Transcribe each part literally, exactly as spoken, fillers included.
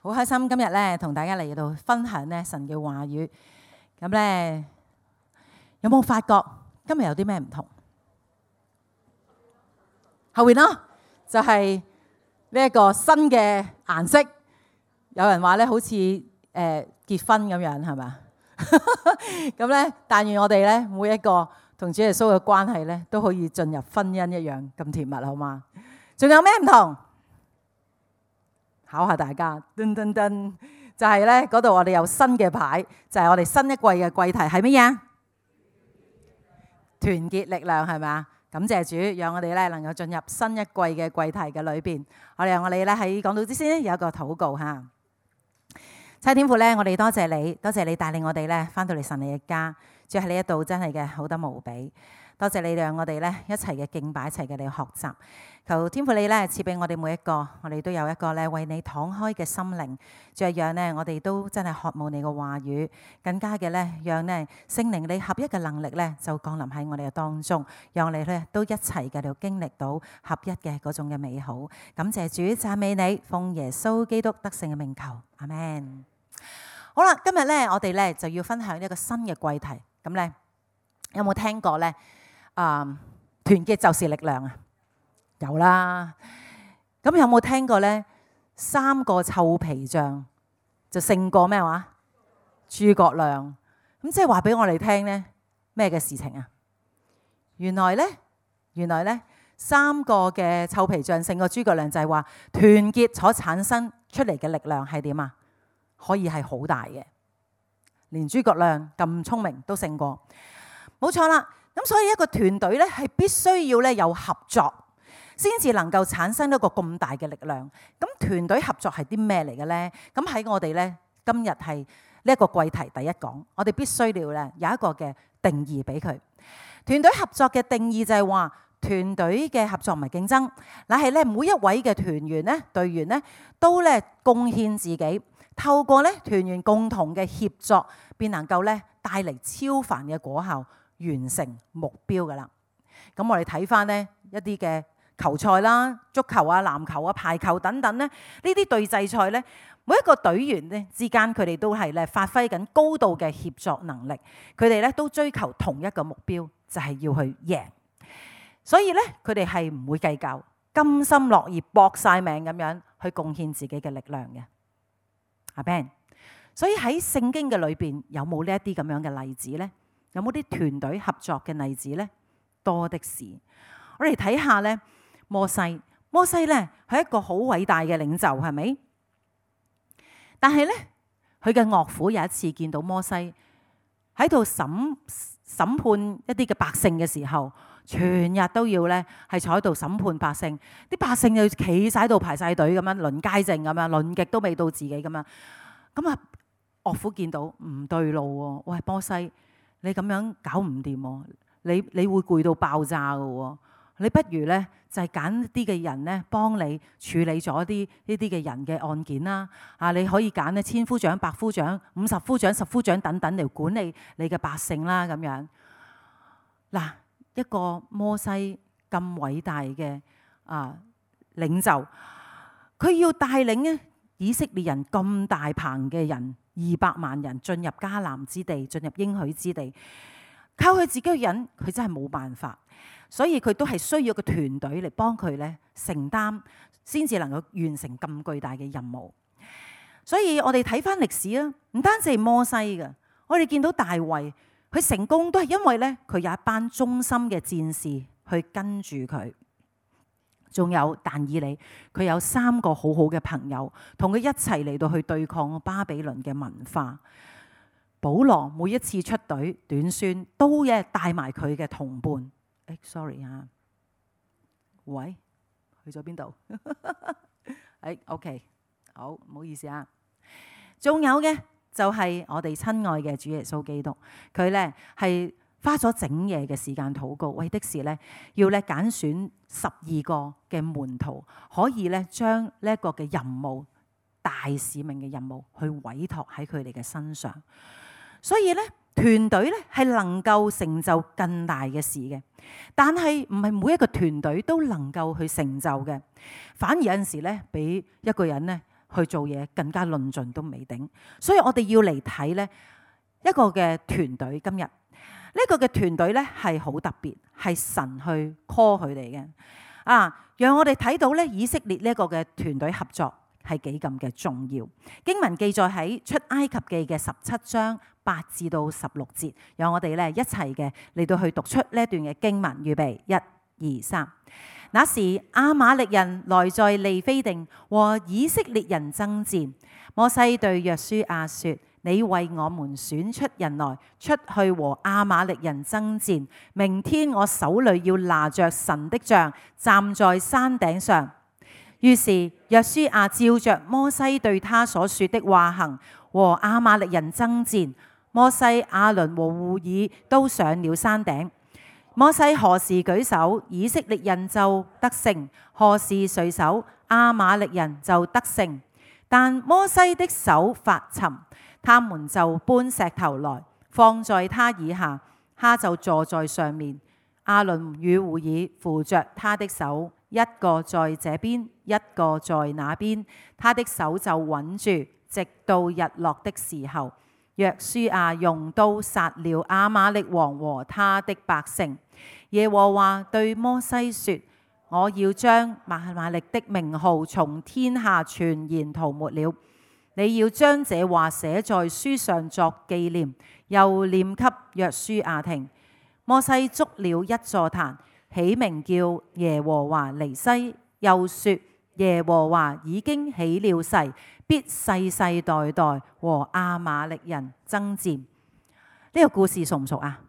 好開心今日咧同大家嚟到分享咧神嘅話語。咁咧有冇發覺今日有啲咩唔同？後邊咯，就係呢一個新嘅顏色。有人話咧好似誒結婚咁樣，係咪？咁咧，但願我哋咧每一個同主耶穌嘅關係咧都可以進入婚姻一樣咁甜蜜，好嗎？仲有咩唔同？考下大家，噔噔噔，就係咧嗰度我哋有新嘅牌，就係我哋新一季嘅季題係乜嘢？團結力量，係咪啊？感謝主，讓我哋咧能夠進入新一季嘅季題嘅裏邊。我哋讓我哋咧喺講道之先有一個禱告嚇。親天父咧，我哋多謝你，多謝你帶領我哋咧翻到嚟神你嘅家，主喺呢一度真係嘅好得無比。多謝你讓我哋咧一齊嘅敬拜，一齊嘅嚟學習。求天父你咧賜俾我哋每一個，我哋都有一個咧為你敞開嘅心靈，主係讓咧我哋都真係渴慕你嘅話語，更加嘅咧讓咧聖靈你合一嘅能力咧就降臨喺我哋嘅當中，讓我哋咧都一齊嘅嚟經歷到合一嘅嗰種嘅美好。感謝主，讚美你，奉耶穌基督得勝嘅名求，阿們。好啦，今日咧我哋咧就要分享一個新嘅季題，咁咧有冇聽過咧？啊，團結就是力量啊！有啦。咁有冇聽過咧？三個臭皮匠就勝過咩話？諸葛亮。咁即係話俾我哋聽咧咩嘅事情啊？原來咧，原來咧三個嘅臭皮匠勝過諸葛亮，就係話團結所產生出嚟嘅力量係點啊？可以係好大嘅，連諸葛亮咁聰明都勝過。冇錯啦。咁所以一個團隊咧係必須要咧有合作，先至能夠產生一個咁大嘅力量。咁團隊合作係啲咩嚟嘅咧？咁喺我哋咧今日係呢一個季題第一講，我哋必須要咧有一個嘅定義俾佢。團隊合作嘅定義就係話，團隊嘅合作唔係競爭，乃係咧每一位嘅團員咧隊員咧都咧貢獻自己，透過咧團員共同嘅協作，便能夠咧帶嚟超凡嘅果效。完成目標㗎啦。咁我哋睇翻呢一啲嘅球賽啦、足球啊、籃球啊、排球等等咧，呢啲對峙賽咧，每一個隊員咧之間佢哋都係咧發揮緊高度嘅協作能力，佢哋咧都追求同一個目標，就係要去贏。所以咧佢哋係唔會計較，甘心樂意搏晒命咁樣去貢獻自己嘅力量嘅。阿 Ben， 所以喺聖經嘅裏邊有冇呢一啲咁樣嘅例子咧？有冇啲團隊合作嘅例子呢？多的是。我哋睇下咧，摩西，摩西咧係一個好偉大嘅領袖，係咪？但係咧，佢嘅岳父有一次見到摩西喺度審審判一啲嘅百姓嘅時候，全日都要咧係坐喺度審判百姓，啲百姓就企晒喺度排晒隊咁樣輪街證咁樣，輪極都未到自己咁樣。咁啊，岳父見到唔對路喎，喂，摩西。你咁樣搞唔掂喎，你你會攰到爆炸㗎喎，你不如咧就係揀啲嘅人咧幫你處理咗啲呢啲嘅人嘅案件啦。啊，你可以揀咧千夫長、百夫長、五十夫長、十夫長等等嚟管理你嘅百姓啦。咁樣嗱，一個摩西咁偉大嘅啊領袖，佢要帶領咧以色列人咁大棚嘅人。二百萬人進入迦南之地，進入應許之地，靠佢自己嘅人，佢真係冇辦法，所以佢都係需要個團隊嚟幫佢咧承擔，先至能夠完成咁巨大嘅任務。所以我哋睇翻歷史啊，唔單止係摩西嘅，我哋見到大衛，佢成功都係因為咧佢有一班忠心嘅戰士去跟住佢。仲有但以理，佢有三個好好嘅朋友，同佢一齊嚟到去對抗巴比倫嘅文化。保羅每一次出隊短宣，都嘅帶埋佢嘅同伴。誒 ，sorry 啊，喂，去咗邊度？誒，OK，好，唔好意思啊。仲有嘅就係我哋親愛嘅主耶穌基督，佢咧係花咗整夜嘅時間禱告，為的是咧要咧揀選十二個嘅門徒，可以咧將呢一個嘅任務、大使命嘅任務去委託喺佢哋嘅身上。所以咧團隊咧係能夠成就更大嘅事嘅，但係唔係每一個團隊都能夠去成就嘅，反而有陣時咧俾一個人咧去做嘢，更加論盡都未定。所以我哋要嚟睇呢一個嘅團隊。今日呢個嘅團隊呢係好特別，係神去 call 佢哋嘅啊，讓我哋睇到呢以色列呢一個嘅團隊合作係幾咁嘅重要。經文記載喺出埃及記嘅十七章八至到十六節，讓我哋咧一齊嘅嚟到去讀出呢一段嘅經文。預備，一、二、三。那時亞瑪力人來在利非定和以色列人爭戰，摩西對約書亞說：你為我們選出人來，出去和亞瑪力人爭戰。明天我手裏要拿着神的杖，站在山頂上。於是約書亞照着摩西對他所說的話行，和亞瑪力人爭戰。摩西、亞倫和戶珥都上了山頂。摩西何時舉手，以色列人就得勝；何時垂手，亞瑪力人就得勝。但摩西的手發沉，他們就搬石頭來放在他以下，他就坐在上面。亞倫與戶珥扶着他的手，一個在這邊，一個在那邊，他的手就穩住，直到日落的時候。約書亞用刀殺了亞瑪力王和他的百姓。耶和華對摩西說：我要將亞瑪力的名號從天下全然塗抹了。你要將這話寫在書上作紀念，又念給約書亞聽。摩西築了一座壇，起名叫耶和華尼西，又說：耶和華已經起了誓，必世世代代和亞瑪力人爭戰。呢、這個故事熟唔熟啊？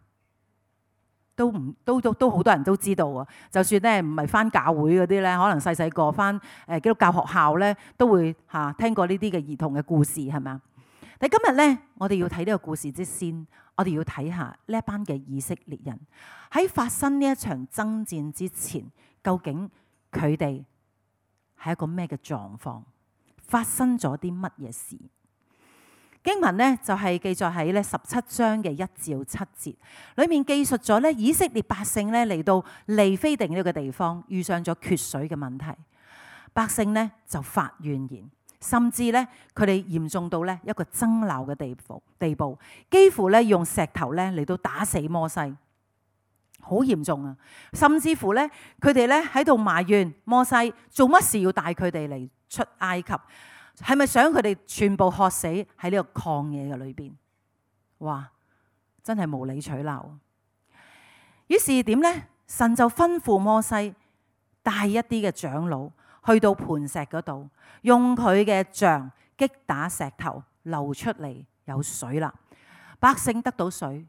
都唔都都都好多人都知道啊！就算咧唔係返教會嗰啲咧，可能細細個返誒基督教學校咧，都會嚇、啊、聽過呢啲嘅兒童嘅故事，係咪啊？但今日咧，我哋要睇呢個故事之先，我哋要睇下呢一班嘅以色列人喺發生呢一場爭戰之前，究竟佢哋係一個咩嘅狀況？發生咗啲乜嘢事？經文呢就係記載喺咧十七章嘅一至七節，裏面記述咗咧以色列百姓咧嚟到利非定呢個地方，遇上咗缺水嘅問題，百姓呢就發怨言，甚至咧佢哋嚴重到咧一個爭鬧嘅地步，地步幾乎咧用石頭咧嚟到打死摩西，好嚴重啊！甚至乎咧佢哋咧喺度埋怨摩西做乜事要帶佢哋嚟出埃及。係咪想佢哋全部渴死喺呢個曠野嘅裏邊？哇！真係無理取鬧。於是點呢？神就吩咐摩西帶一啲嘅長老去到磐石嗰度，用佢嘅杖擊打石頭，流出嚟有水啦。百姓得到水，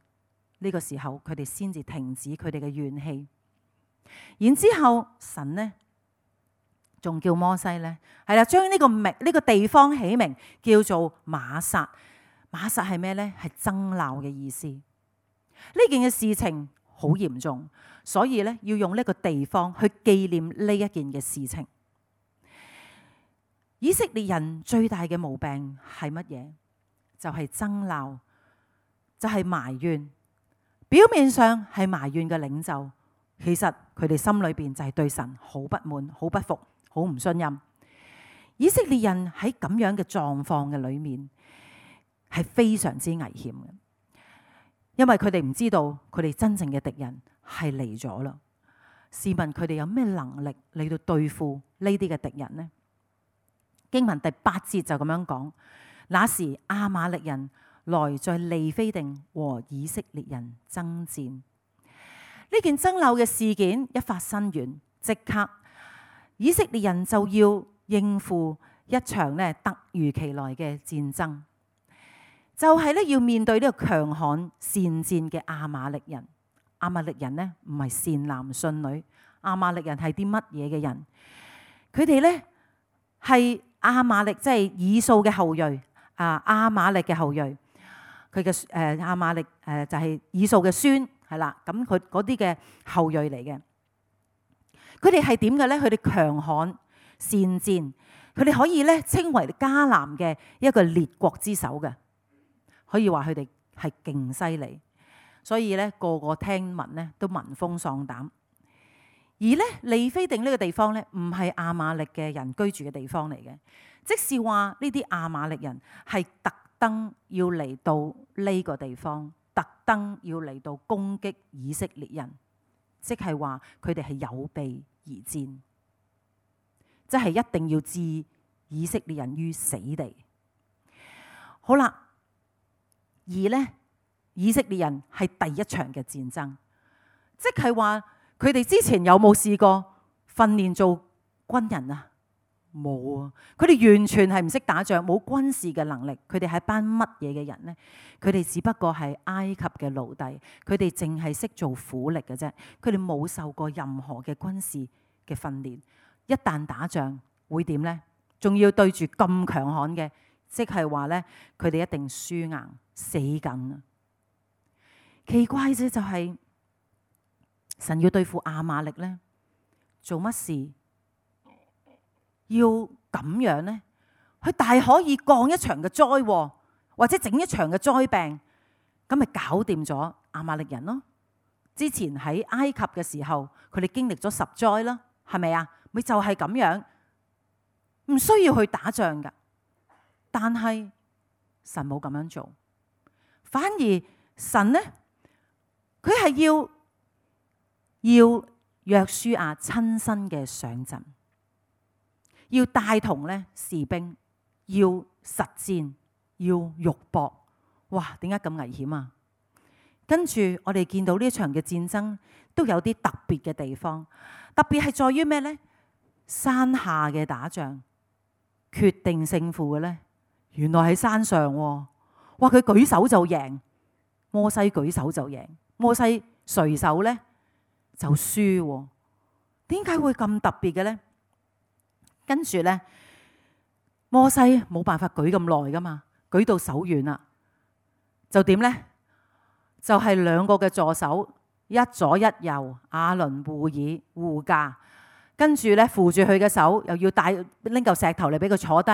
呢個時候佢哋先至停止佢哋嘅怨氣。然之後神呢？仲叫摩西呢，係啦，將呢個名呢個地方起名叫做瑪撒。瑪撒係咩呢？係爭鬧嘅意思。呢件嘅事情好嚴重，所以呢要用呢個地方去紀念呢一件嘅事情。以色列人最大嘅毛病係乜嘢？就係爭鬧，就係埋怨。表面上係埋怨嘅領袖，其實佢哋心裏邊就係對神好不滿、好不服。好唔信任。以色列人喺咁樣嘅狀況嘅裏面係非常之危險嘅，因為佢哋唔知道佢哋真正嘅敵人係嚟咗啦。試問佢哋有咩能力嚟到對付呢啲嘅敵人呢？經文第八節就咁樣講：那時亞瑪力人來在利非定和以色列人爭戰。呢件爭拗嘅事件一發生完，即刻以色列人就要應付一場咧突如其來嘅戰爭，就係咧要面對呢個強悍善戰嘅亞瑪力人。亞瑪力人呢唔係善男信女，亞瑪力人係啲乜嘢嘅人？佢哋呢係亞瑪力，即係以掃嘅後裔啊！亞瑪力嘅後裔，佢嘅誒亞瑪力誒就係以掃嘅孫，係啦。咁佢嗰啲嘅後裔嚟嘅。佢哋係點嘅咧？佢哋強悍善戰，佢哋可以咧稱為迦南嘅一個列國之首嘅，可以話佢哋係勁犀利，所以咧個個聽聞咧都聞風喪膽。而咧利非定呢個地方咧，唔係亞瑪力嘅人居住嘅地方嚟嘅，即是話呢啲亞瑪力人係特登要嚟到呢個地方，特登要嚟到攻擊以色列人，即係話佢哋係有備而戰，即係一定要置以色列人於死地。好啦，而呢，以色列人係第一場嘅戰爭，即係話佢哋之前有冇試過訓練做軍人啊？冇啊！佢哋完全係唔識打仗，冇軍事嘅能力。佢哋係班乜嘢嘅人呢？佢哋只不過係埃及嘅奴隸，佢哋淨係識做苦力嘅啫。佢哋冇受過任何嘅軍事嘅訓練。一旦打仗會點呢？仲要對住咁強悍嘅，即係話呢，佢哋一定輸硬死緊啊！奇怪啫，就係神要對付亞瑪力呢，做乜事？要咁樣呢？佢大可以降一場嘅災禍，或者整一場嘅災病，咁咪搞掂咗亞瑪力人咯。之前喺埃及嘅時候，佢哋經歷咗十災啦，係咪啊？咪就係咁樣，唔需要去打仗噶。但係神冇咁樣做，反而神呢，佢係要要約書亞親身嘅上陣。要帶同咧士兵，要實戰，要肉搏。哇！點解咁危險啊？跟住我哋見到呢一場嘅戰爭都有啲特別嘅地方，特別係在於咩呢？山下嘅打仗決定勝負嘅呢，原來喺山上喎。哇！佢舉手就贏，摩西舉手就贏，摩西垂手呢就輸喎。點解會咁特別嘅呢？跟住呢，摩西冇辦法舉咁耐噶嘛，舉到手軟啦，就點呢？就係、是、兩個嘅助手，一左一右，亞倫、戶珥護駕，跟住呢，扶住佢嘅手，又要帶拎嚿石頭嚟俾佢坐低，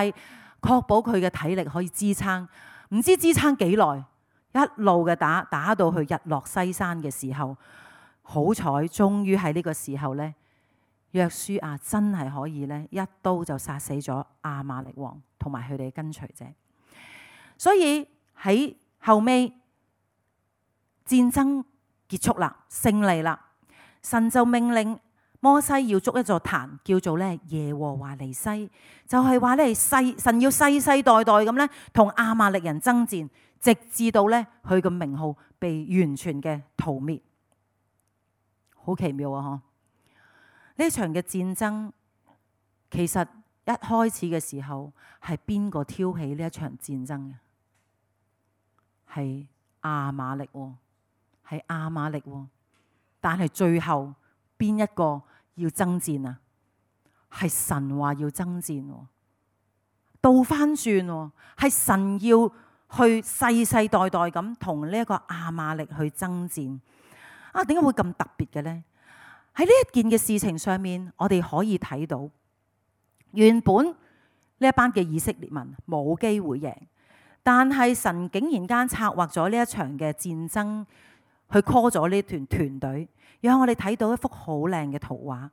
確保佢嘅體力可以支撐。唔知支撐幾耐，一路嘅打打到去日落西山嘅時候，好彩終於喺呢個時候呢。約書亞真係可以咧，一刀就殺死咗亞瑪力王同埋佢哋嘅跟隨者。所以喺後尾戰爭結束啦，勝利啦，神就命令摩西要築一座壇，叫做咧耶和華尼西，就係話咧世神要世世代代咁咧同亞瑪力人爭戰，直至到咧佢嘅名號被完全嘅塗滅。好奇妙啊！嗬。呢場嘅戰爭其實一開始嘅時候係邊個挑起呢一場戰爭嘅？係亞瑪力喎，係亞瑪力喎。但係最後邊一個要爭戰啊？係神話要爭戰喎，倒翻轉喎，係神要去世世代代咁同呢一個亞瑪力去爭戰。啊，點解會咁特別嘅呢？喺呢一件嘅事情上面，我哋可以睇到，原本呢一班嘅以色列民冇機會贏，但係神竟然間策劃咗呢一場嘅戰爭，去 call 咗呢團團隊，讓我哋睇到一幅好靚嘅圖畫，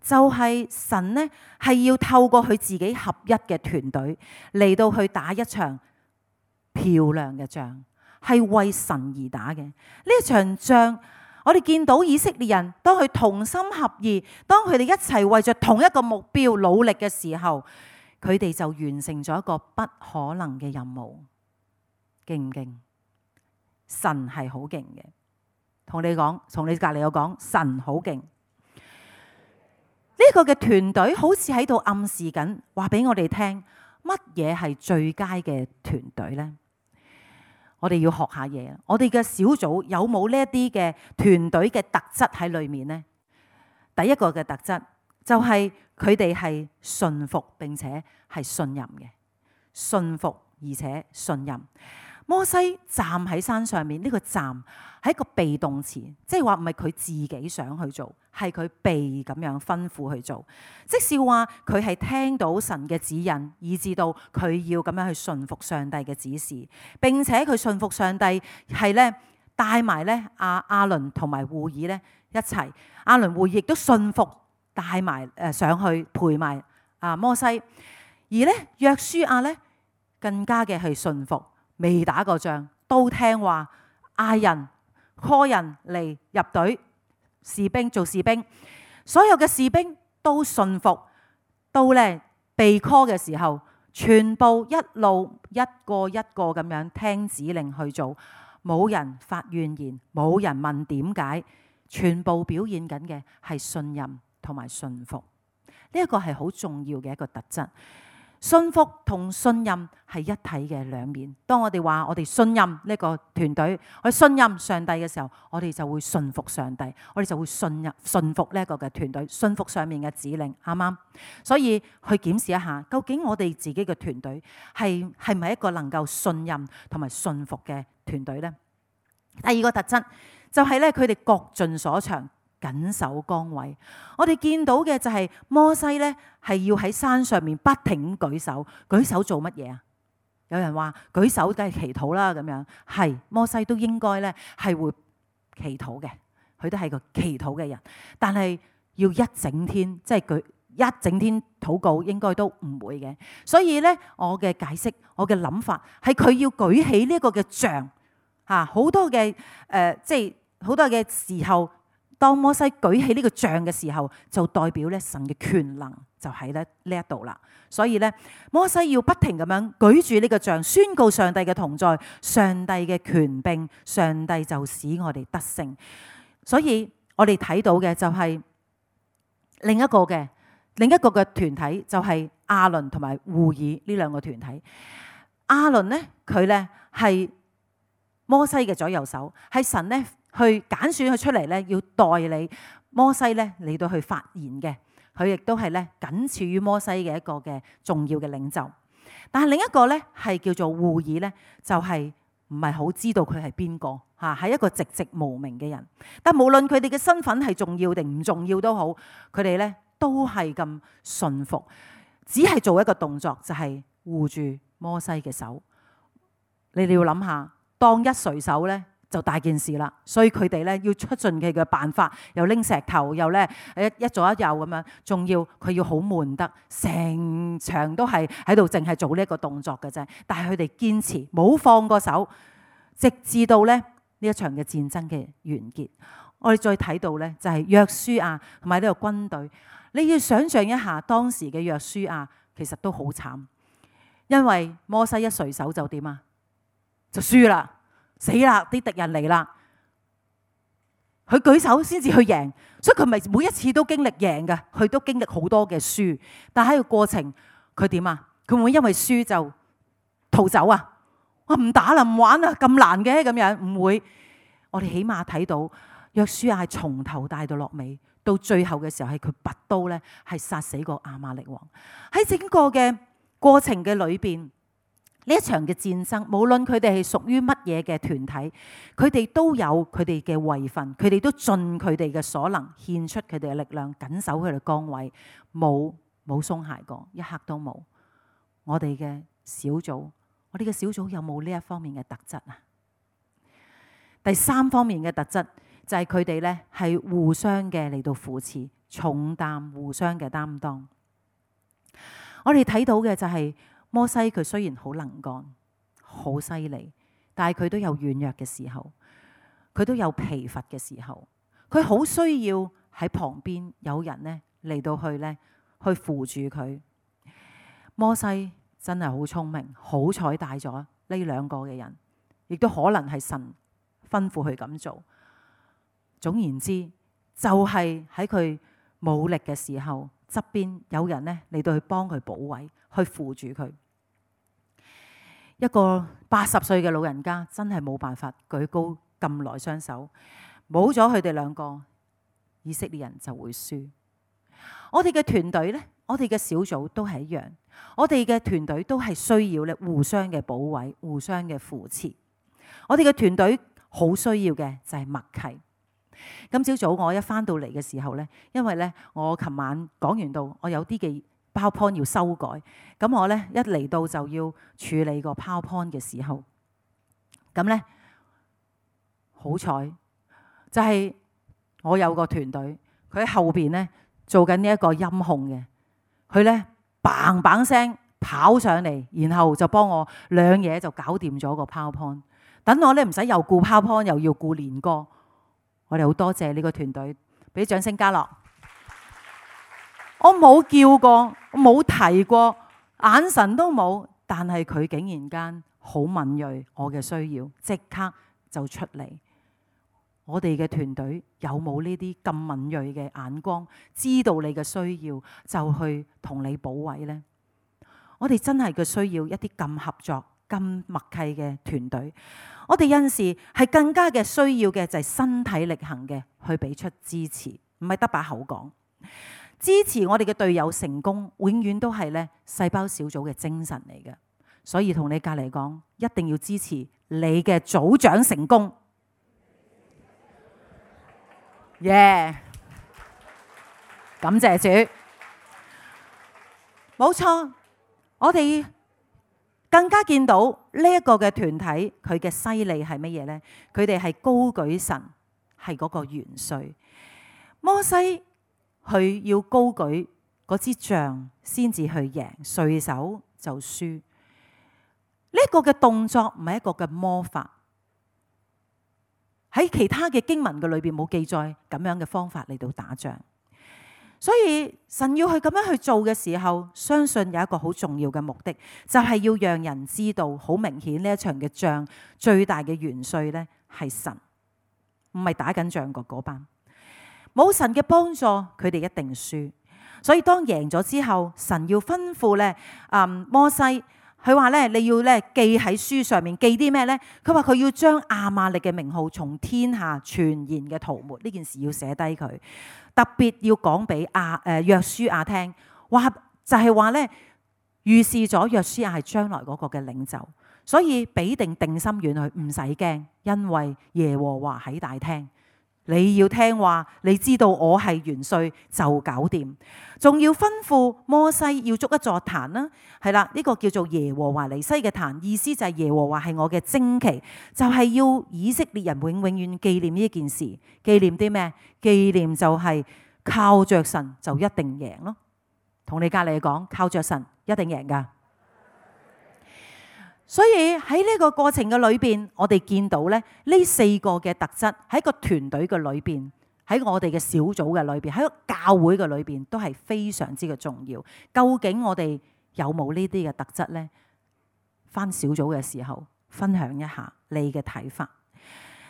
就係神呢係要透過佢自己合一嘅團隊嚟到去打一場漂亮嘅仗，係為神而打嘅呢一場仗。我哋見到以色列人當佢同心合意，當佢哋一齊為着同一個目標努力嘅時候，佢哋就完成咗一個不可能嘅任務。勁唔勁？神係好勁嘅，同你講，同你隔籬有講，神好勁。呢個嘅團隊好似喺度暗示緊，話俾我哋聽，乜嘢係最佳嘅團隊呢？我哋要學下嘢，我哋嘅小組有冇呢一啲嘅團隊嘅特質喺裏面呢？第一個嘅特質就係佢哋係順服並且係信任嘅，順服而且信任。摩西站喺山上面，呢個站係一個被動詞，即係話唔係佢自己想去做，係佢被咁樣吩咐去做。即是話佢係聽到神嘅指引，以至到佢要咁樣去順服上帝嘅指示，並且佢順服上帝係咧帶埋咧亞亞倫同埋戶珥咧一齊，亞倫戶珥亦都順服帶埋誒上去陪埋啊摩西。而咧約書亞咧更加嘅係順服，未打過仗都聽話，嗌人 call 人嚟入隊，士兵做士兵，所有嘅士兵都順服，到咧被 call 嘅時候，全部一路一個一個咁樣聽指令去做，冇人發怨言，冇人問點解，全部表現緊嘅係信任同埋順服。呢一個係好重要嘅一個特質。信服同信任係一體嘅兩面。當我哋話我哋信任呢個團隊，我哋信任上帝嘅時候，我哋就會信服上帝，我哋就會信任信服呢一個嘅團隊，信服上面嘅指令，啱啱？所以去檢視一下，究竟我哋自己嘅團隊係係咪一個能夠信任同埋信服嘅團隊呢？第二個特質就係咧，佢哋各盡所長，緊守崗位。我哋見到嘅就係摩西咧，係要喺山上面不停舉手，舉手做乜嘢啊？有人話舉手梗係祈禱啦，咁樣係摩西都應該咧係會祈禱嘅，佢都係個祈禱嘅人。但係要一整天，即係舉一整天禱告，應該都唔會嘅。所以咧，我嘅解釋，我嘅諗法係佢要舉起呢個嘅杖嚇，好多嘅誒，即係好多嘅時候。當摩西舉起呢個杖嘅時候，就代表咧神嘅權能就喺咧呢一度啦。所以咧，摩西要不停咁樣舉住呢個杖，宣告上帝嘅同在，上帝嘅權柄，上帝就使我哋得勝。所以我哋睇到嘅就係另一個嘅另一個嘅團體，就係亞倫同埋戶珥呢兩個團體。亞倫咧，佢咧係摩西嘅左右手，係神咧。去揀選佢出嚟咧，要代理摩西咧嚟到去發言嘅，佢亦都係咧僅次於摩西嘅一個嘅重要嘅領袖。但係另一個咧係叫做戶珥咧，就係唔係好知道佢係邊個嚇，係一個籍籍無名嘅人。但無論佢哋嘅身份係重要定唔重要都好，佢哋咧都係咁順服，只係做一個動作，就係護住摩西嘅手。你哋要諗下，當一垂手咧，就大件事啦，所以佢哋咧要出盡佢嘅辦法，又拎石頭，又咧一一左一右咁樣，仲要佢要好悶得，成場都係喺度淨係做呢一個動作嘅啫。但係佢哋堅持冇放過手，直至到咧呢一場嘅戰爭嘅完結。我哋再睇到咧就係約書亞同埋呢個軍隊，你要想象一下當時嘅約書亞其實都好慘，因為摩西一垂手就點啊？就輸啦。死啦！啲敵人嚟啦，佢舉手先至去贏，所以佢咪每一次都經歷贏嘅，佢都經歷好多嘅輸。但喺個過程，佢點啊？佢會唔會因為輸就逃走啊？我唔打啦，唔玩啦，咁難嘅咁樣，唔會。我哋起碼睇到約書亞係從頭帶到落尾，到最後嘅時候係佢拔刀咧，係殺死個亞瑪力王。喺整個嘅過程嘅裏邊。呢一場嘅戰爭，無論佢哋係屬於乜嘢嘅團體，佢哋都有佢哋嘅位份，佢哋都盡佢哋嘅所能，獻出佢哋嘅力量，緊守佢哋崗位，冇冇鬆懈過，一刻都冇。我哋嘅小組，我哋嘅小組有冇呢一方面嘅特質啊？第三方面嘅特質就係佢哋咧係互相嘅嚟到扶持，重擔互相嘅擔當。我哋睇到嘅就係、是。摩西佢雖然好能幹、好犀利，但係佢都有軟弱嘅時候，佢都有疲乏嘅時候，佢好需要喺旁邊有人咧嚟到去咧去扶住佢。摩西真係好聰明，好彩帶咗呢兩個嘅人，亦都可能係神吩咐佢咁做。總言之，就係喺佢冇力嘅時候，側邊有人咧嚟到去幫佢保衛，去扶住佢。一個八十歲嘅老人家真係冇辦法舉高咁耐雙手，冇咗佢哋兩個，以色列人就會輸。我哋嘅團隊呢，我哋嘅小組都係一樣，我哋嘅團隊都係需要咧互相嘅保衛、互相嘅扶持。我哋嘅團隊好需要嘅就係默契。今朝早我一返到嚟嘅時候呢，因為呢，我琴晚講完到，我有啲嘅PowerPoint 要修改，咁我咧一嚟到就要處理個 PowerPoint 嘅時候，咁咧好彩就係我有個團隊，佢喺後邊咧做緊呢一個音控嘅，佢咧砰砰聲跑上嚟，然後就幫我兩嘢就搞掂咗個 PowerPoint。等我咧唔使又顧 PowerPoint 又要顧練歌。我哋好多謝呢個團隊，俾掌聲嘉樂。我冇叫過，我冇提過，眼神都冇，但係佢竟然間好敏銳我嘅需要，即刻就出嚟。我哋嘅團隊有冇呢啲咁敏銳嘅眼光，知道你嘅需要就去同你補位呢？我哋真係嘅需要一啲咁合作、咁默契嘅團隊。我哋有陣時係更加嘅需要嘅就係身體力行嘅去俾出支持，唔係得把口講。支持我哋嘅隊友成功，永遠都係咧細胞小組嘅精神嚟嘅。所以同你隔離講，一定要支持你嘅組長成功。耶！感謝主，冇錯。我哋更加見到呢一個嘅團體，佢嘅犀利係乜嘢呢？佢哋係高舉神，係嗰個元帥。摩西佢要高舉嗰支杖先至去贏，垂手就輸。呢、這個嘅動作唔係一個嘅魔法，喺其他嘅經文嘅裏邊冇記載咁樣嘅方法嚟到打仗。所以神要去咁樣去做嘅時候，相信有一個好重要嘅目的，就係要讓人知道，好明顯呢一場嘅仗最大嘅元帥呢係神，唔係打緊仗嘅嗰班。冇神嘅幫助，佢哋一定輸。所以當贏咗之後，神要吩咐咧，嗯，摩西，佢話咧，你要咧記喺書上面，記啲咩咧？佢話佢要將亞瑪力嘅名號從天下全然嘅塗抹，呢件事要寫低佢。特別要講俾亞誒約書亞聽，話就係話咧，預示咗約書亞係將來嗰個嘅領袖，所以俾定定心丸佢，唔使驚，因為耶和華喺大廳。你要聽話，你知道我係元帥就搞掂。仲要吩咐摩西要築一座壇啦，係啦，呢個叫做耶和華尼西嘅壇，意思就係耶和華係我嘅旌旗，就係要以色列人永永遠紀念呢一件事。紀念啲咩？紀念就係靠着神就一定贏咯。同你隔籬講，靠着神一定贏噶。所以喺呢個過程嘅裏邊，我哋見到咧呢四個嘅特質喺個團隊嘅裏邊，喺我哋嘅小組嘅裏邊，喺個教會嘅裏邊都係非常之嘅重要。究竟我哋有冇呢啲嘅特質呢？返小組嘅時候分享一下你嘅睇法。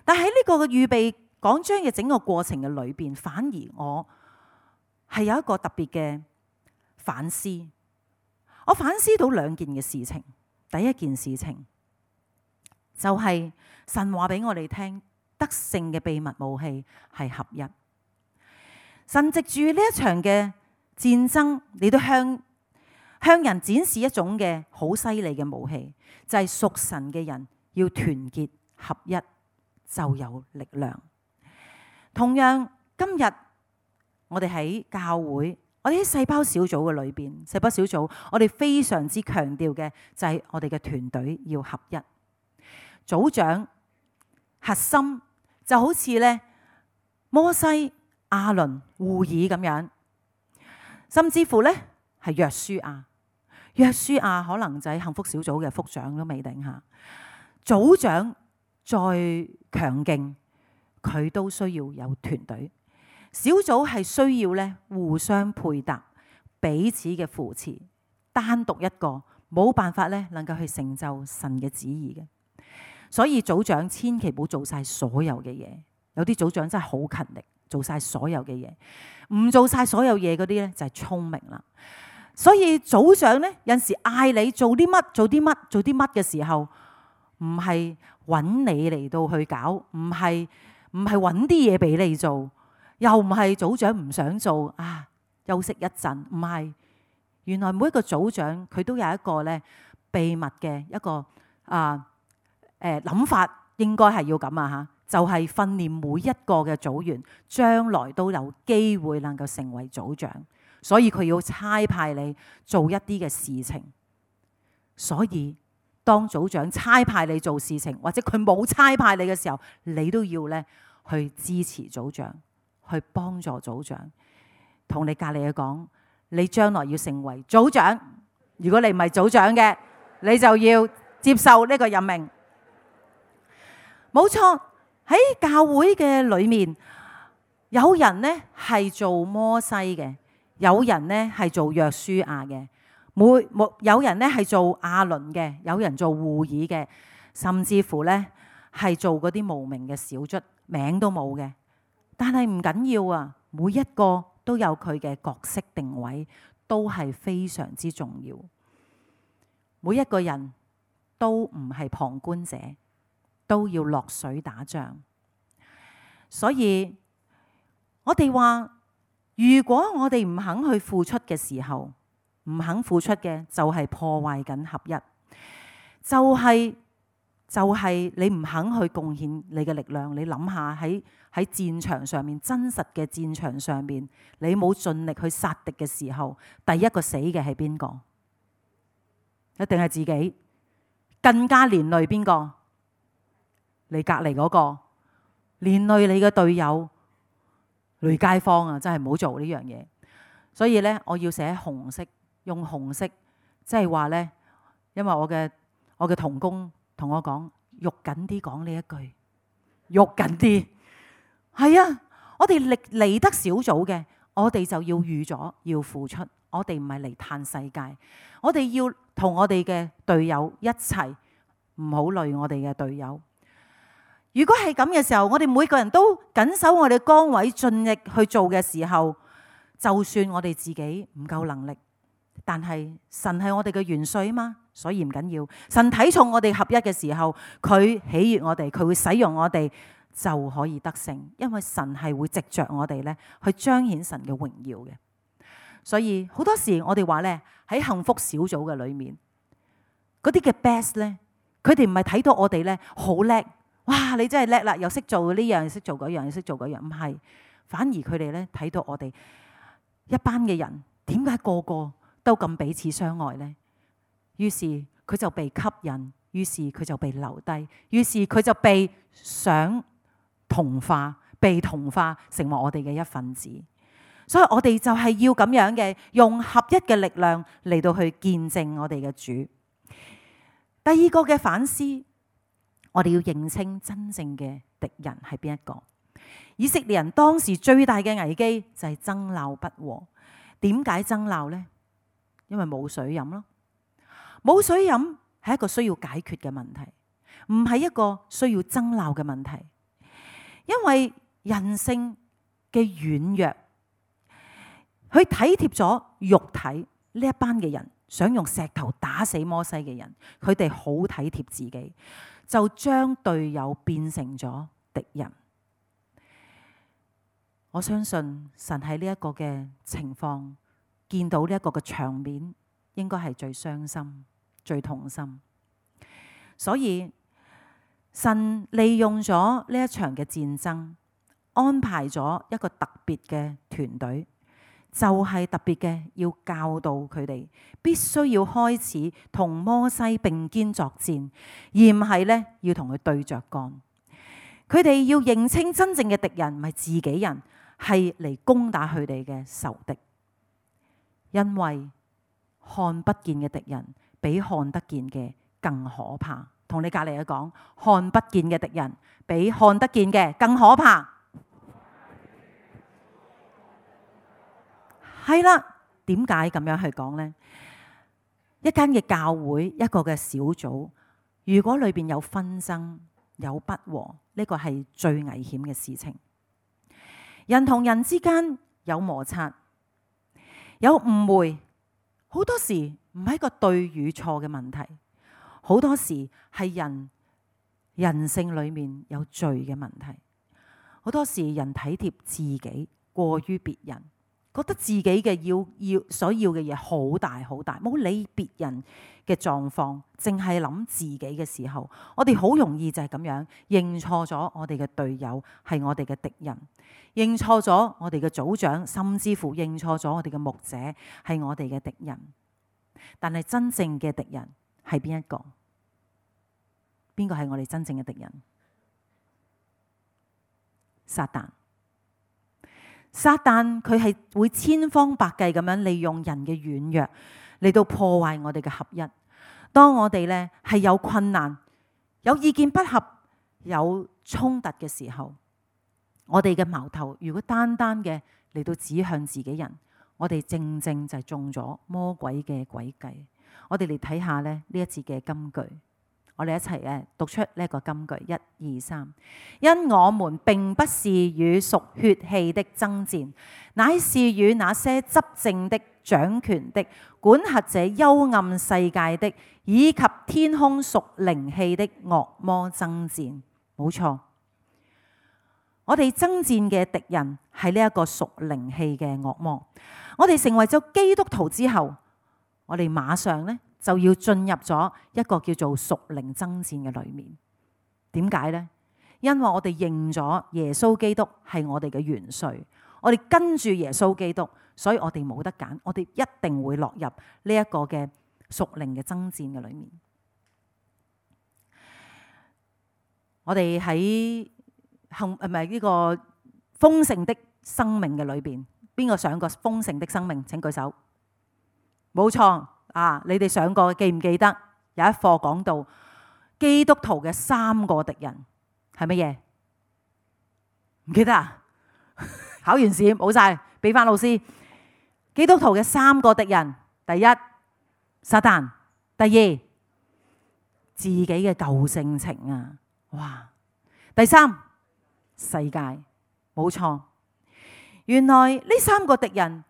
但喺呢個嘅預備講章嘅整個過程嘅裏邊，反而我係有一個特別嘅反思。我反思到兩件嘅事情。第一件事情就係神話俾我哋聽，得勝嘅秘密武器係合一。神藉住呢一場嘅戰爭，你都向向人展示一種嘅好犀利嘅武器，就係屬神嘅人要團結合一就有力量。同樣今日我哋喺教會。我哋喺細胞小組嘅裏邊，細胞小組，我哋非常之強調嘅就係我哋嘅團隊要合一。組長核心就好似咧摩西、亞倫、戶珥咁樣，甚至乎咧係約書亞。約書亞可能就係幸福小組嘅副長都未定下。組長再強勁，佢都需要有團隊。小組係需要咧互相配搭，彼此嘅扶持。單獨一個冇辦法咧，能夠去成就神嘅旨意嘅。所以組長千祈唔好做晒所有嘅嘢。有啲組長真係好勤力，做晒所有嘅嘢。唔做晒所有嘢嗰啲咧就係聰明啦。所以組長咧有陣時嗌你做啲乜做啲乜做啲乜嘅時候，唔係揾你嚟到去搞，唔係唔係揾啲嘢俾你做。又唔係組長唔想做啊，休息一陣，唔係。原來每一個組長佢都有一個咧秘密嘅一個啊誒諗法，應該係要咁啊嚇，就係訓練每一個嘅組員，將來都有機會能夠成為組長。所以佢要差派你做一啲嘅事情。所以當組長差派你做事情，或者佢冇差派你嘅時候，你都要咧去支持組長。去幫助組長，同你隔籬嘅講，你將來要成為組長，如果你唔係組長嘅，你就要接受呢個任命。冇錯，喺教會嘅裏面，有人呢係做摩西嘅，有人呢係做約書亞嘅，每每有人呢係做亞倫嘅，有人做戶珥嘅，甚至乎呢係做嗰啲無名嘅小卒，名都冇嘅。但係唔緊要啊，每一個都有佢嘅角色定位，都係非常之重要。每一個人都唔係旁觀者，都要落水打仗。所以我哋話，如果我哋唔肯去付出嘅時候，唔肯付出嘅就係破壞緊合一，就係、是、就係、是、你唔肯去貢獻你嘅力量。你諗下喺喺戰場上面，真實嘅戰場上面，你冇盡力去殺敵嘅時候，第一個死嘅係邊個？一定係自己，更加連累邊個？你隔離嗰個，連累你嘅隊友，累街坊啊！真係唔好做呢樣嘢。所以咧，我要寫紅色，用紅色，即係話咧，因為我嘅我嘅同工同我講，肉緊啲講呢一句，肉緊啲。係啊，我哋嚟嚟得小組嘅，我哋就要預咗要付出。我哋唔係嚟嘆世界，我哋要同我哋嘅隊友一齊，唔好累我哋嘅隊友。如果係咁嘅時候，我哋每個人都緊守我哋崗位，盡力去做嘅時候，就算我哋自己唔夠能力，但係神係我哋嘅元帥啊嘛，所以唔緊要。神睇重我哋合一嘅時候，佢喜悅我哋，佢會使用我哋，就可以得勝。因為神係會藉着我哋咧去彰顯神嘅榮耀嘅。所以好多時我哋話咧，喺幸福小組嘅裏面，嗰啲嘅 best 咧，佢哋唔係睇到我哋咧好叻，哇！你真係叻啦，又識做呢樣，又識做嗰樣，又識做嗰樣，唔係，反而佢哋咧睇到我哋一班嘅人，點解個個都咁彼此相愛呢？於是佢就被吸引，於是佢就被留低，於是佢就被想同化，被同化成為我哋嘅一份子。所以我哋就係要咁樣嘅，用合一嘅力量嚟到去見證我哋嘅主。第二個嘅反思，我哋要認清真正嘅敵人係邊一個。以色列人當時最大嘅危機就係爭鬧不和。點解爭鬧呢？因為冇水飲咯。冇水飲係一個需要解決嘅問題，唔係一個需要爭鬧嘅問題。因為人性嘅軟弱，佢體貼咗肉體呢一班嘅人，想用石頭打死摩西嘅人，佢哋好體貼自己，就將隊友變成咗敵人。我相信神喺呢一個嘅情況，見到呢一個嘅場面，應該係最傷心、最痛心。所以神利用咗呢一場嘅戰爭，安排咗一個特別嘅團隊。就係特別嘅，要教導佢哋必須要開始同摩西並肩作戰，而唔係咧要同佢對着幹。佢哋要認清真正嘅敵人唔係自己人，係嚟攻打佢哋嘅仇敵。因為看不見嘅敵人比看得見嘅更可怕。同你隔籬嘅講，看不見嘅敵人比看得見嘅更可怕。係啦，點解咁樣去講呢？一間嘅教會，一個嘅小組，如果裏邊有紛爭、有不和，呢個係最危險嘅事情。人同人之間有摩擦、有誤會，好多時唔係一個對與錯嘅問題，好多時係人人性裏面有罪嘅問題。好多時人體貼自己過於別人。覺得自己嘅要要所要嘅嘢好大好大，冇理別人嘅狀況，淨係諗自己嘅時候，我哋好容易就係咁樣認錯咗我哋嘅隊友係我哋嘅敵人，認錯咗我哋嘅組長，甚至乎認錯咗我哋嘅牧者係我哋嘅敵人。但係真正嘅敵人係邊一個？邊個係我哋真正嘅敵人？撒旦。撒旦佢係會千方百計咁樣利用人嘅軟弱，嚟到破壞我哋嘅合一。當我哋咧係有困難、有意見不合、有衝突嘅時候，我哋嘅矛頭如果單單嘅嚟到指向自己人，我哋正正就係中咗魔鬼嘅詭計。我哋嚟睇下咧呢一節嘅金句，我哋一齊誒讀出呢一個金句，一二三。因我們並不是與屬血氣的爭戰，乃是與那些執政的、掌權的、管轄這幽暗世界的，以及天空屬靈氣的惡魔爭戰。冇錯，我哋爭戰嘅敵人係呢一個屬靈氣嘅惡魔。我哋成為咗基督徒之後，我哋馬上咧就要進入咗一個叫做屬靈爭戰嘅裏面。點解呢？因為我哋認咗耶穌基督係我哋嘅元帥，我哋跟住耶穌基督，所以我哋冇得揀，我哋一定會落入呢一個嘅屬靈嘅爭戰嘅裏面。我哋喺幸唔係呢個豐盛的生命嘅裏邊，邊個上過豐盛的生命？請舉手。冇錯啊！你哋上過記唔記得有一課講到基督徒嘅三個敵人係乜嘢？唔記得啊？考完試冇晒，俾翻老師。基督徒嘅三個敵人，第一撒旦，第二自己嘅舊性情啊！哇！第三世界，冇錯。原來呢三個敵人，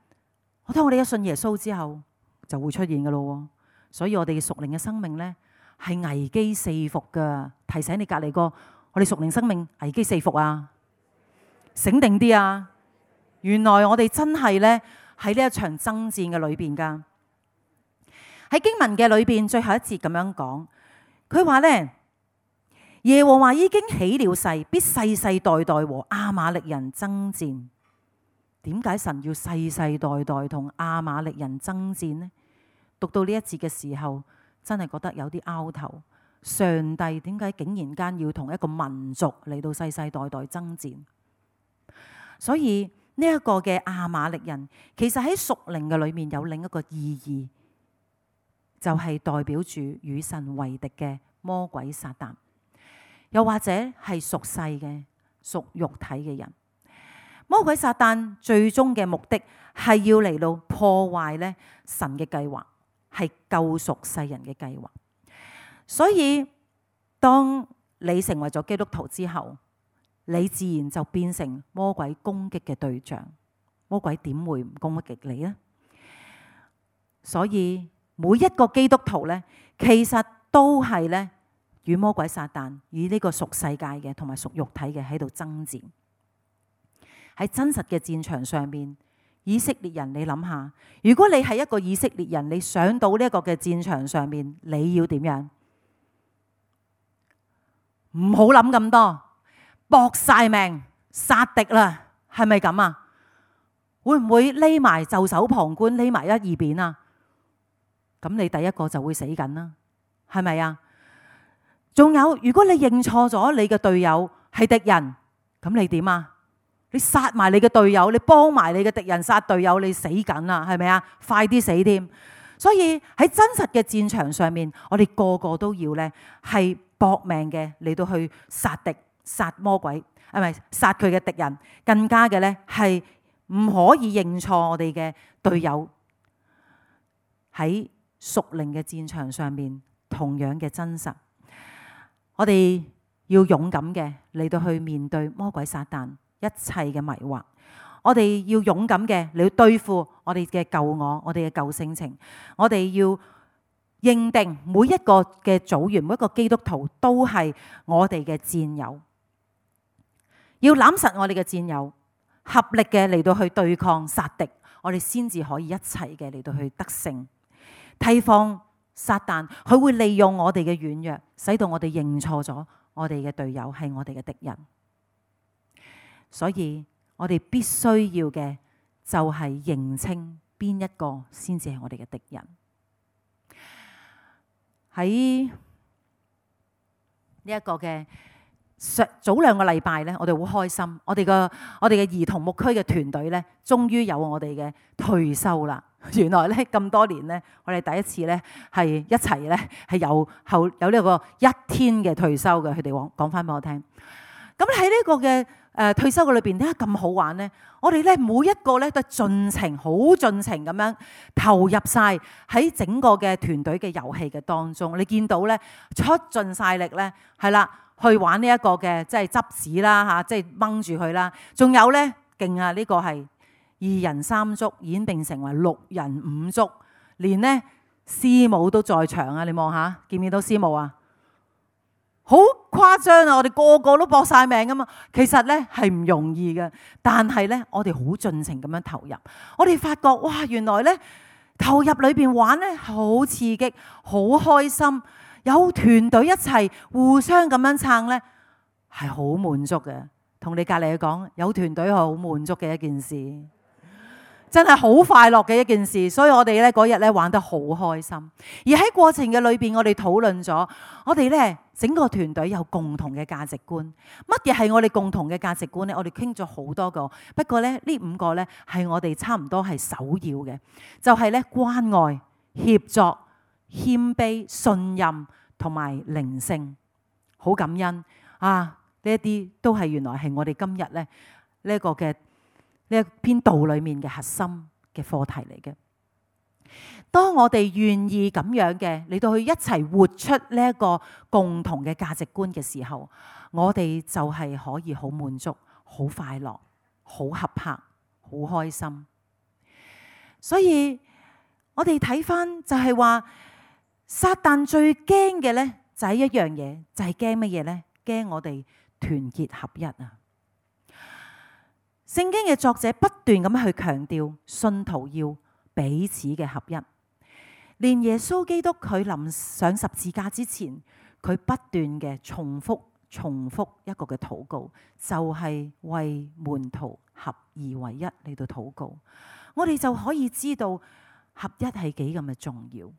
我當我哋一信耶穌之後就會出現噶咯。所以我哋嘅屬靈嘅生命呢係危機四伏噶。提醒你隔籬個，我哋屬靈生命危機四伏啊！醒定啲啊！原來我哋真係呢喺呢一場爭戰嘅裏邊噶。喺經文嘅裏邊最後一節咁樣講，佢話呢。耶和華已經起了誓，必世世代代和亞瑪力人爭戰。點解神要世世代代同亞瑪力人爭戰呢？讀到呢一節嘅時候，真係覺得有啲拗頭。上帝點解竟然間要同一個民族嚟到世世代代爭戰？所以呢一個嘅亞瑪力人，其實喺屬靈嘅裏面有另一個意義，就係代表住與神為敵嘅魔鬼撒旦。又或者係屬世嘅、屬肉體嘅人，魔鬼撒旦最終嘅目的係要嚟到破壞咧神嘅計劃，係救贖世人嘅計劃。所以當你成為咗基督徒之後，你自然就變成魔鬼攻擊嘅對象。魔鬼點會唔攻擊你呢？所以每一個基督徒咧，其實都係咧。與魔鬼撒旦，與呢個屬世界嘅同埋屬肉體嘅喺度爭戰。喺真實嘅戰場上面，以色列人，你諗下，如果你係一個以色列人，你上到呢一個嘅戰場上面，你要點樣？唔好諗咁多，搏晒命殺敵啦，係咪咁啊？會唔會匿埋袖手旁觀，匿埋一二邊啊？咁你第一個就會死緊啦，係咪啊？仲有，如果你認錯咗你嘅隊友係敵人，咁你點啊？你殺埋你嘅隊友，你幫埋你嘅敵人殺隊友，你死緊啦，係咪啊？快啲死添！所以喺真實嘅戰場上面，我哋個個都要呢係搏命嘅嚟到去殺敵、殺魔鬼，係咪殺佢嘅敵人？更加嘅呢係唔可以認錯我哋嘅隊友。喺屬靈嘅戰場上面，同樣嘅真實。我哋要勇敢嘅嚟到去面對魔鬼撒旦一切嘅迷惑，我哋要勇敢嘅嚟對付我哋嘅舊我，我哋嘅舊性情。我哋要認定每一個嘅組員，每一個基督徒都係我哋嘅戰友，要攬實我哋嘅戰友，合力嘅嚟到去對抗殺敵，我哋先至可以一齊嘅嚟到去得勝。提防撒旦，佢會利用我哋嘅軟弱，使到我哋認錯咗我哋嘅隊友係我哋嘅敵人。所以我哋必須要嘅就係認清邊一個先至係我哋嘅敵人。喺呢一個嘅早兩個禮拜咧，我哋好開心，我哋個我哋嘅兒童牧區嘅團隊咧，終於有我哋嘅退休啦。原來咧咁多年咧，我哋第一次咧係一齊咧係有後有呢個一天嘅退休嘅。佢哋講講翻俾我聽。咁喺呢個嘅誒退休嘅裏邊，點解咁好玩咧？我哋咧每一個咧都盡情好盡情咁樣投入晒喺整個嘅團隊嘅遊戲嘅當中。你見到咧出盡晒力咧，係啦，去玩呢一個嘅即係執屎啦嚇，即係掹住佢啦。仲有咧勁啊！呢個係二人三足演變成為六人五足，連咧師母都在場啊！你望下，見唔見到師母啊？好誇張啊！我哋個個都搏晒命㗎嘛，其實咧係唔容易嘅，但係咧我哋好盡情咁樣投入。我哋發覺哇，原來咧投入裏邊玩咧好刺激、好開心，有團隊一齊互相咁樣撐咧，係好滿足嘅。同你隔離講，有團隊係好滿足嘅一件事，真係好快樂嘅一件事。所以我哋咧嗰日咧玩得好開心，而喺過程嘅裏邊，我哋討論咗，我哋咧整個團隊有共同嘅價值觀。乜嘢係我哋共同嘅價值觀咧？我哋傾咗好多個，不過咧呢五個咧係我哋差唔多係首要嘅，就係咧關愛、協作、謙卑、信任同埋靈性。好感恩啊！呢一啲都係原來係我哋今日咧呢一個嘅呢一篇道裏面嘅核心嘅課題嚟嘅。當我哋願意咁樣嘅嚟到去一齊活出呢一個共同嘅價值觀嘅時候，我哋就係可以好滿足、好快樂、好合拍、好開心。所以我哋睇翻就係話，撒旦最驚嘅咧就係一樣嘢，就係驚乜嘢咧？驚我哋團結合一啊！聖經嘅作者不斷咁去強調，信徒要彼此嘅合一。連耶穌基督佢臨上十字架之前，佢不斷嘅重複、重複一個嘅禱告，就係為門徒合而為一嚟到禱告。我哋就可以知道合一係幾咁嘅重要。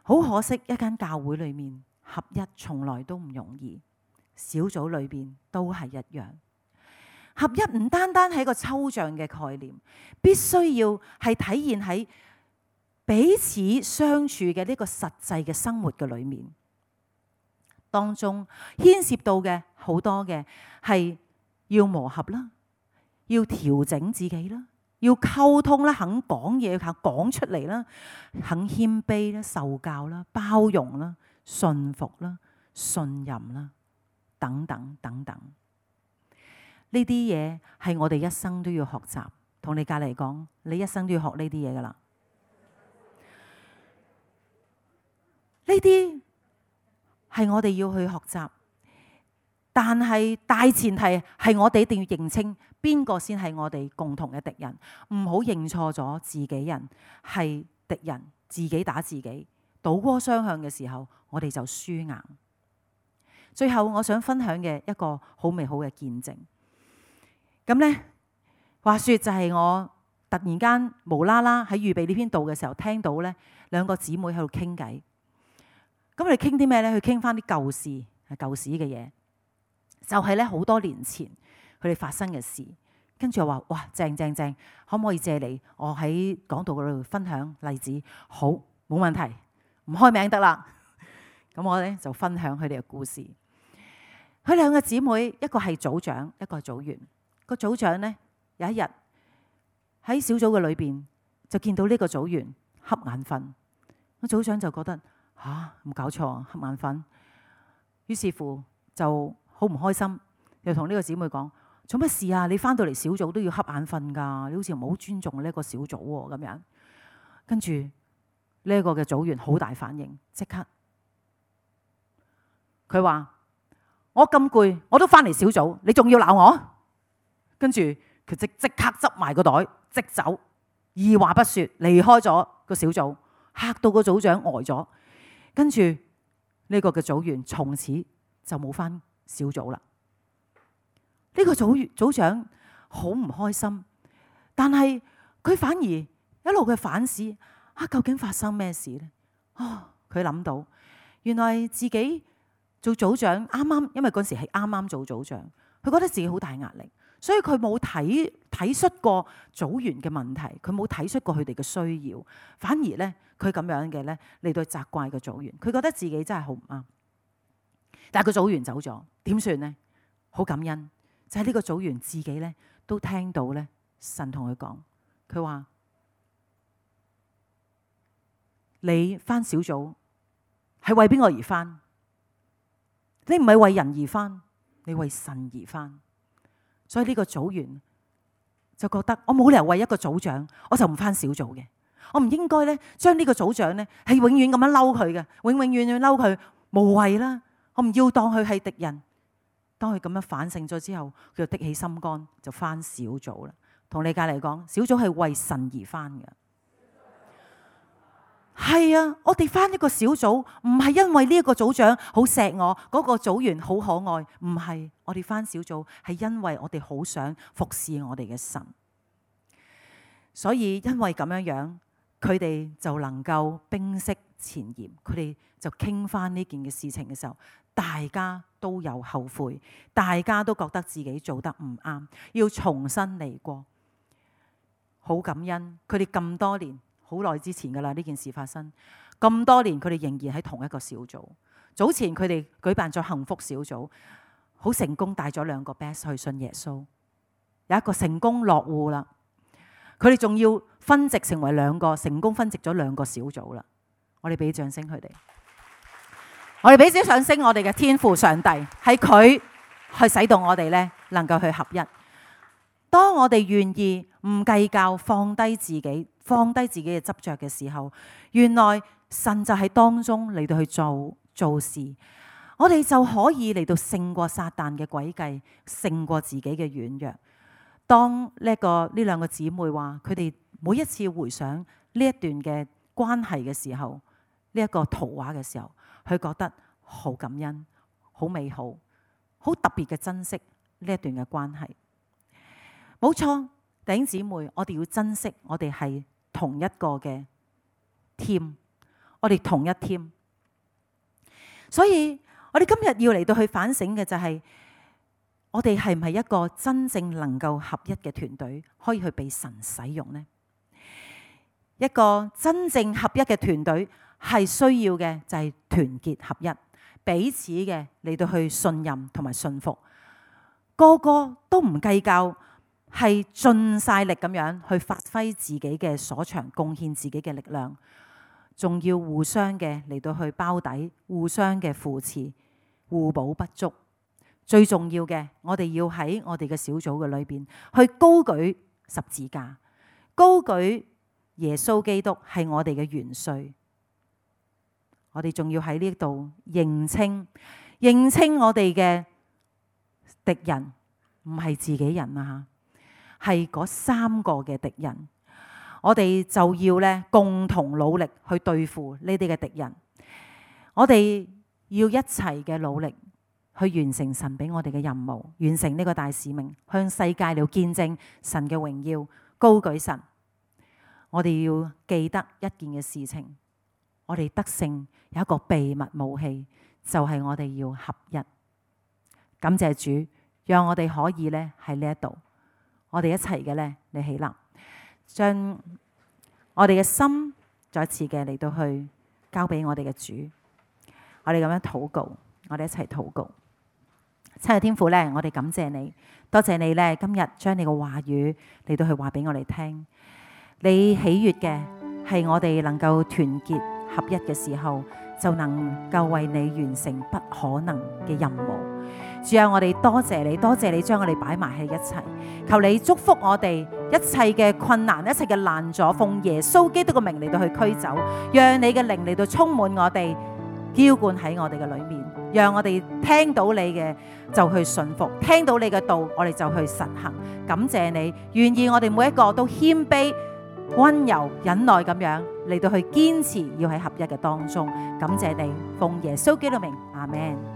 好可惜，一間教會裏面合一從來都唔容易。小組裏邊都係一樣，合一唔單單係一個抽象嘅概念，必須要係體現喺彼此相處嘅呢個實際嘅生活嘅裏面，當中牽涉到嘅好多嘅係要磨合啦，要調整自己啦，要溝通啦，肯講嘢，肯講出嚟啦，肯謙卑啦，受教啦，包容啦，順服啦，信任啦。等等等等，呢啲嘢係我哋一生都要學習。同你隔籬講，你一生都要學呢啲嘢噶啦。呢啲係我哋要去學習，但係大前提係我哋一定要認清邊個先係我哋共同嘅敵人，唔好認錯咗自己人係敵人，自己打自己，倒戈雙向嘅時候，我哋就輸硬。最後我想分享嘅一個好美好嘅見證，咁呢話說就係我突然間無啦啦喺預備呢篇道嘅時候，聽到呢兩個姊妹喺度傾偈。咁佢哋傾啲咩呢？去傾翻啲舊事，係舊時嘅嘢，就係咧好多年前佢哋發生嘅事。跟住我話：哇，正正正，可唔可以借你我喺講道嗰度分享例子？好，冇問題，唔開名得啦。咁我咧就分享佢哋嘅故事。佢兩個姊妹，一個係組長，一個係組員。個組長呢，有一日喺小組嘅裏邊就見到呢個組員瞌眼瞓。個組長就覺得吓，冇搞錯，瞌眼瞓。於是乎就好唔開心，又同呢個姊妹講：做乜事啊？你翻到嚟小組都要瞌眼瞓㗎？你好似唔好尊重呢一個小組喎咁樣。跟住呢一個嘅組員好大反應，即刻佢話：我咁攰，我都翻嚟小組，你仲要鬧我？跟住佢即即刻執埋個袋，即走，二話不說離開咗個小組，嚇到個組長呆咗。跟住呢個嘅組員從此就冇翻小組啦。呢個組組長好唔開心，但係佢反而一路嘅反思啊，究竟發生咩事呢？啊，佢諗到原來自己做組長啱啱，因為嗰時係啱啱做組長，佢覺得自己好大壓力，所以佢冇體體恤過組員嘅問題，佢冇體恤過佢哋嘅需要，反而咧佢咁樣嘅咧嚟到責怪個組員，佢覺得自己真係好唔啱。但係個組員走咗，點算呢？好感恩，就係呢個組員自己咧都聽到咧神同佢講，佢話你返小組係為邊個而返？你唔係為人而返，你為神而返。所以呢個組員就覺得我冇理由為一個組長我就唔返小組嘅，我唔應該咧將呢個組長咧係永遠咁樣嬲佢嘅，永永遠遠嬲佢無謂啦，我唔要當佢係敵人。當佢咁樣反省咗之後，佢就的起心肝就返小組啦。同你隔籬講，小組係為神而返嘅。係啊，我哋返一個小組唔係因為呢一個組長好錫我，嗰個組員好可愛，唔係。我哋返小組係因為我哋好想服侍我哋嘅神。所以因為咁樣樣，佢哋就能夠冰釋前嫌，佢哋就傾翻呢件嘅事情嘅時候，大家都有後悔，大家都覺得自己做得唔啱，要重新嚟過。好感恩，佢哋咁多年，好耐之前噶啦呢件事發生，咁多年佢哋仍然喺同一個小組。早前佢哋舉辦咗幸福小組，好成功帶咗兩個 best 去信耶穌，有一個成功落戶啦。佢哋仲要分席成為兩個，成功分席咗兩個小組啦。我哋俾掌聲佢哋，我哋俾啲掌聲我哋嘅天父上帝，係佢去使到我哋咧能夠去合一。當我哋願意唔計較，放低自己，放低自己嘅執着嘅時候，原來神就喺當中嚟到去做做事，我哋就可以嚟到勝過撒旦嘅詭計，勝過自己嘅軟弱。當呢一個呢兩個姊妹話，佢哋每一次回想呢一段嘅關係嘅時候，呢一個圖畫嘅時候，佢覺得好感恩、好美好、好特別嘅珍惜呢一段嘅關係。冇錯，弟兄姊妹，我哋要珍惜我哋係同一個嘅 team， 我哋同一 team。所以我哋今日要嚟到去反省嘅就係，我哋係唔係一個真正能夠合一嘅團隊，可以去被神使用呢？一個真正合一嘅團隊係需要嘅就係團結合一，彼此嘅嚟到去信任同埋信服，個個都唔計較，係盡晒力咁樣去發揮自己嘅所長，貢獻自己嘅力量，仲要互相嘅嚟到去包底，互相嘅扶持，互補不足。最重要嘅，我哋要喺我哋嘅小組嘅裏邊去高舉十字架，高舉耶穌基督係我哋嘅元帥。我哋仲要喺呢度認清，認清我哋嘅敵人唔係自己人啊，係嗰三個嘅敵人。我哋就要咧共同努力去對付呢啲嘅敵人。我哋要一齊嘅努力去完成神俾我哋嘅任務，完成呢個大使命，向世界嚟見證神嘅榮耀，高舉神。我哋要記得一件嘅事情，我哋得勝有一個秘密武器，就係我哋要合一。感謝主，讓我哋可以咧喺呢一度，我哋一齊嘅咧嚟起立，將我哋嘅心再一次嘅嚟到去交俾我哋嘅主。我哋咁樣禱告，我哋一齊禱告。親愛天父咧，我哋感謝你，多謝你咧，今日將你嘅話語嚟到去話俾我哋聽。你喜悅嘅係我哋能夠團結合一嘅時候，就能夠為你完成不可能嘅任務。主啊，我哋多謝你，多謝你將我哋擺埋喺一齊。求你祝福我哋一切嘅困難，一切嘅難阻，奉耶穌基督嘅名嚟到去驅走，讓你嘅靈嚟到充滿我哋，澆灌喺我哋嘅裏面，讓我哋聽到你嘅就去順服，聽到你嘅道我哋就去實行。感謝你，願意我哋每一個都謙卑、溫柔、忍耐咁樣嚟到去堅持，要喺合一嘅當中。感謝你，奉耶穌基督名，阿們。